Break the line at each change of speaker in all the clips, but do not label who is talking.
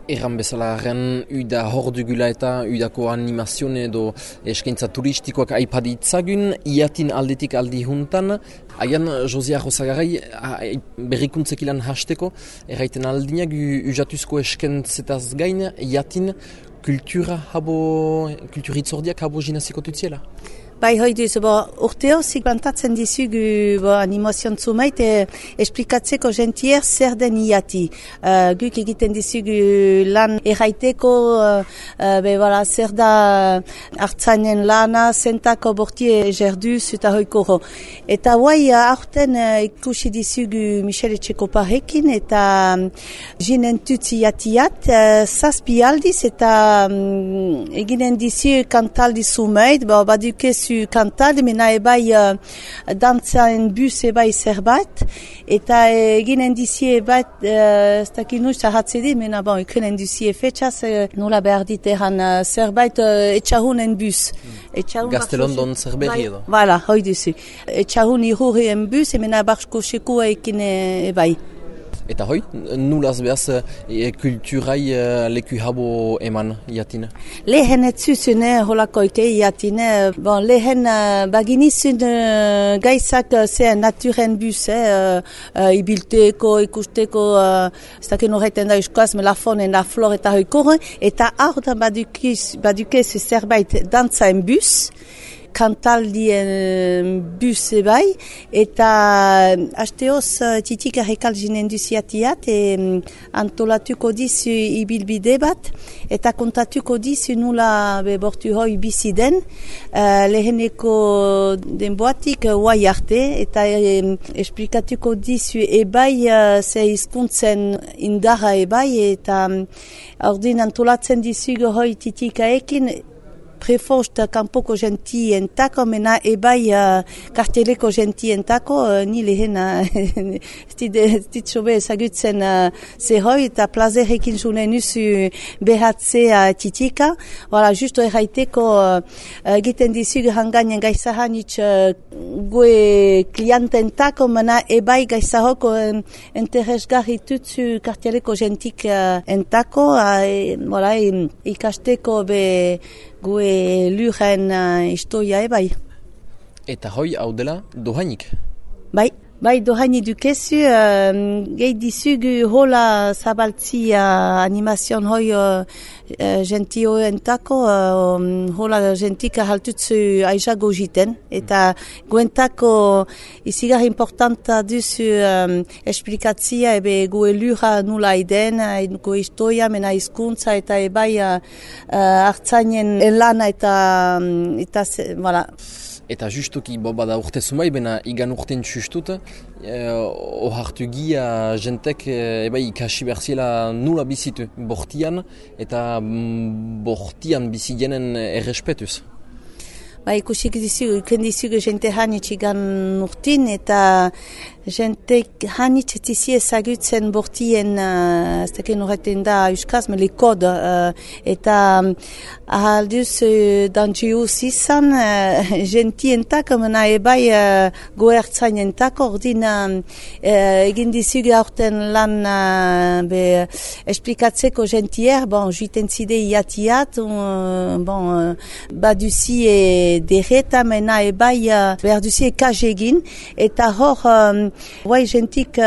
Erran bezala arren, uda hor dugula eta udako animazione edo eskaintza turistikoak aipaditzagun, iatin aldetik aldi juntan, aian Josia Josagarai berrikuntzekilan hasteko, erraiten aldinak ujatuzko eskentzetaz gain, iatin kulturitzordiak habo jinaziko tutziela.
Bai, hoiduz, urteo zigbantatzen dizugu animazion zumait esplikatzeko gentier zer den iati. Guk egiten dizugu lan erraiteko, zer da hartzainen lana, zentako bortie jerduz eta hoikoro. Eta guai, aurten ikusi dizugu Michele Txekoparekin eta jinen tutzi iatiat, zazpi aldiz eta eginen dizu kantaldi zumait, badukez kantaldi, mena ebai dantzaen bus ebai zerbait, eta eginen dizie bat, ez dakit nuz ahatzedi, mena ikunen dizie fetxaz, nola behar diteran zerbait etxahunen bus.
Gaztelondon zerberi edo.
Voilà, hoi duzu. Etxahun irurien bus, mena barsko sekua ekin ebai.
Eta hoi, nulaz behaz kulturai leku habo eman iatin?
Lehen etzuzune holakoike iatin. Lehen baginizun gaizak ze naturen bus, ibilteko, ikusteko, ez dakin horreiten da euskoaz, melafonen da flor eta hoikor, eta hor da badukez zerbait dantzaen bus, kantaldien bus ebai, eta hasteoz titik arrekal jinen duziatiat, antolatuko dizu ibilbide bat, eta kontatuko dizu nula bortu hoi biziden, leheneko denboatik guai arte, eta esplikatuko dizu ebai ze hizkuntzen indarra ebai, eta ordin antolatzen dizu hoi titikaekin, prefost kanpoko gentientako, mena ebai karteleko gentientako, ni lehen stitsobe ezagutzen zehoi, eta plazerekin junen usu behatzea titika. Voilà, justo erraiteko egiten dizug hangainen gaizahanitz goe kliententako, mena ebai gaizahoko interesgarri tutsu karteleko gentik entako, ikasteko be goe luren historia ebai.
Eta hoi hau dela dohainik?
Bai, dohaini dukezu, gehi dizugu hola zabaltzi animazion hoi gentio entako, hola gentika haltutzu aizago jiten, eta goentako izigar importanta duzu esplikatzia ebe goe lura nula iden, goe historia, mena hizkuntza eta ebai hartzainen lana eta voilà.
Eta justuki bada urte zumai, bena igan urten txustut, ohartu gia jentek ikasi berziela nula bizitu bortian, eta bortian bizigenen errespetuz.
Ikusik dizugu jente hanitz igan urtin, eta jente hanitz tizi ezagutzen bortien, ez dakin horretin da euskaz, mele kod, eta ahalduz dantziuz izan, gentientako, mena ebai goertzainentako, ordin egin dizugu aurten lan esplikatzeko gentier, juiten zide iatiat, baduzi derreta, mena ebai behar duzi ekaz egin, eta hor guai gentik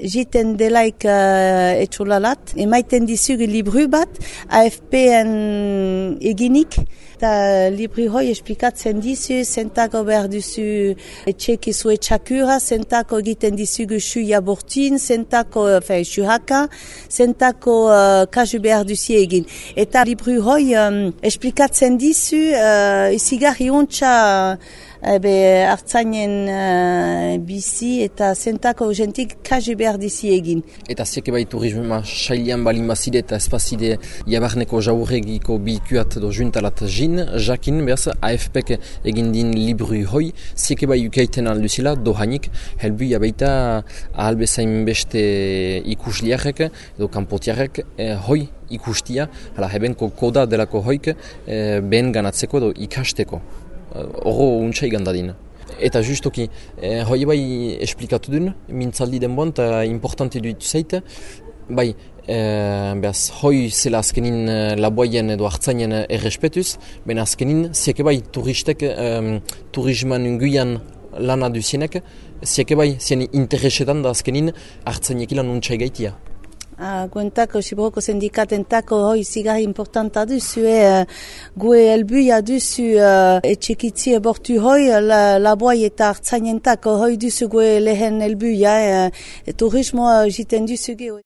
jiten delaik etxolalat, emaiten dizugu libru bat, AFP-en eginik, eta libru hoi esplikatzen dizu, zentako behar duzu etxekizu etxakura, zentako egiten dizugu xuia bortin, zentako xuhaka, zentako kasu behar duzi egin. Eta libru hoi esplikatzen dizu, izigarri ontsa hartzainen bizi eta zentako gentik kasu behar dizi egin.
Eta zieke bai turismoa sailian balin bazide eta espazide jabarneko jaurregiko bilkuat do juntalat jakin behaz AFPek egin din libru hoi, zieke bai ukaiten alduzila dohainik, helbu jabaita ahalbezain beste ikusliarek edo kanpotiarek hoi ikustia, hala hebenko koda delako hoik behen ganatzeko edo ikasteko. Horro untsa igandadin. Eta justoki, hoi bai esplikatu duen, mintzaldi denboan, eta importante duitu zaite, bai, behaz, hoi zela azkenin laboaien edo hartzainen errespetuz, ben azkenin, zieke bai, turistek, turisman unguian lana duzienek, zieke bai, zien interesetan da azkenin hartzainekilan untxai gaitia.
Guentako, Sibroko sindikatentako hoi zigarri importanta duzu, gue helbuia duzu etxekitzi ebortu hoi, laboi eta hartzainentako hoi duzu gue lehen helbuia, turismoa jiten duzu geho.